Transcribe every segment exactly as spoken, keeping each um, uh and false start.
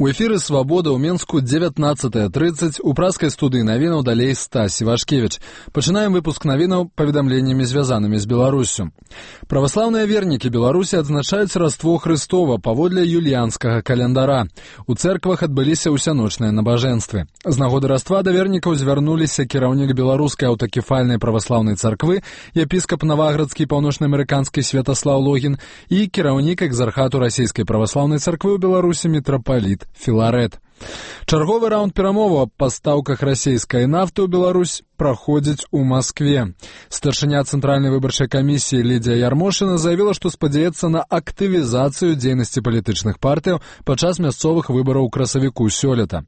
У эфіры «Свабода» ў Менску дзевятнаццатая трыццаць, у праскай студыі навінаў далей Стась Івашкевіч. Пачынаем выпуск навінаў паведамленнямі, звязанымі з Беларуссю. Праваслаўныя вернікі Беларусі адзначаюць Раство Хрыстова паводле юліянскага календара. У цэрквах адбыліся ўсяночныя набажэнствы. З нагоды Раства да вернікаў звярнуліся кіраўнік беларускай аўтакефальнай праваслаўнай царквы, епіскап Наваградскі паўночнаамерыканскі Святаслаў Логін і кіраўнік экзархату расійскай праваслаўнай царквы ў Беларусі мітрапаліт Філарэт. Чарговы раунд перамоваў аб пастаўках расійскай нафты ў Беларусь праходзіць у Маскве. Старшыня Цэнтральнай выбарчай камісіі Лідзія Ярмошына заявіла, што спадзяецца на актывізацыю дзейнасці палітычных партыяў падчас мясцовых выбараў у красавіку сёлета.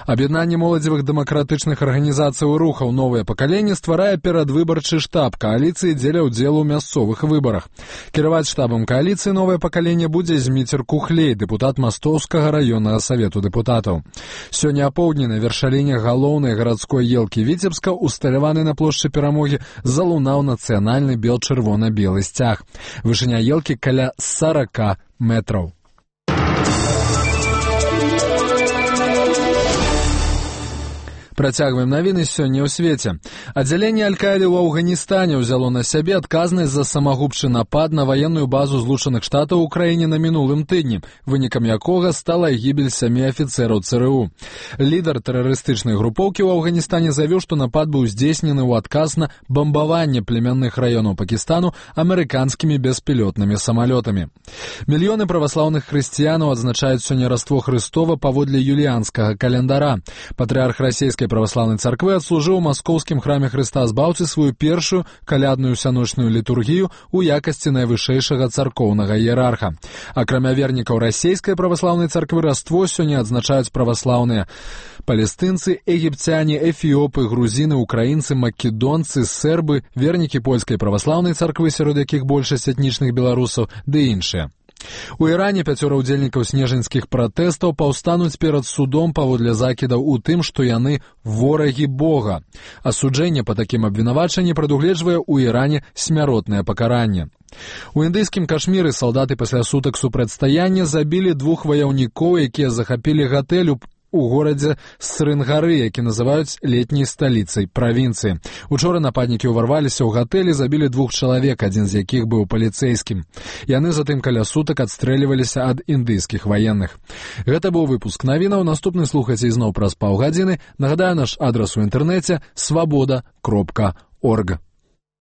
Аб'яднанне моладзевых дэмакратычных арганізацый і рухаў «Новае пакаленне» стварае перадвыбарчы штаб кааліцыі дзеля ўдзелу ў мясцовых выбарах. Кіраваць штабам кааліцыі «Новае пакаленне» будзе Зміцер Кухлей, дэпутат Мастоўскага раённага савету дэпутатаў. Сёння апоўдні на вяршаліне галоўнай гарадской елкі Віцебска, усталяваны на плошчы Перамогі, залунаў нацыянальны бел-чырвона-белы сцяг. Вышыня елкі каля сарака метраў. Працягваем навіны сёння ў свеце. Аддзяленне Аль-Каіды ў Афганістане ўзяло на сябе адказнасць за самагубчы напад на ваенную базу Злучаных Штатаў у краіне на мінулым тыдні, вынікам якога стала гібель сямі афіцэраў ЦРУ. Лідар тэрарыстычнай групоўкі ў Афганістане заявіў, што напад быў здзейснены ў адказ на бамбаванне племянных раёнаў Пакістану амерыканскімі беспілотнымі самалётамі. Мільёны праваслаўных хрысціянаў адзначаюць сёння Раство Хрыстова паводле юліянскага календара. Патрыарх расійскай праваслаўнай царквы адслужыў у маскоўскім храме Хрыста Збаўцы сваю першую калядную сяночную літургію ў якасці найвышэйшага царкоўнага іерарха. Акрамя вернікаў расійскай праваслаўнай царквы Раство сёння адзначаюць праваслаўныя палестынцы, егіпцяне, эфіопы, грузіны, украінцы, македонцы, сербы, вернікі польскай праваслаўнай царквы, сярод якіх большасць этнічных беларусаў, ды іншыя. У Іране пяцёра ўдзельнікаў снежаньскіх пратэстаў паўстануць перад судом паводле закідаў у тым, што яны ворагі Бога. Асуджэнне па такім абвінавачанні прадугледжвае ў Іране смяротнае пакаранне. У індыйскім Кашміры салдаты пасля сутак супрацьстаяння забілі двух ваяўнікоў, якія захапілі гатэль у горадзе Срынгары, які называюць летняй сталіцай правінцыі. Учора нападнікі ўварваліся ў гатэль і забілі двух чалавек, адзін з якіх быў паліцэйскім. Яны затым каля сутак адстрэльваліся ад індыйскіх ваенных. Гэта быў выпуск навінаў. Наступны слухайце ізноў праз паўгадзіны. Нагадаю, наш адрас у інтэрнэце свабода кропка орг.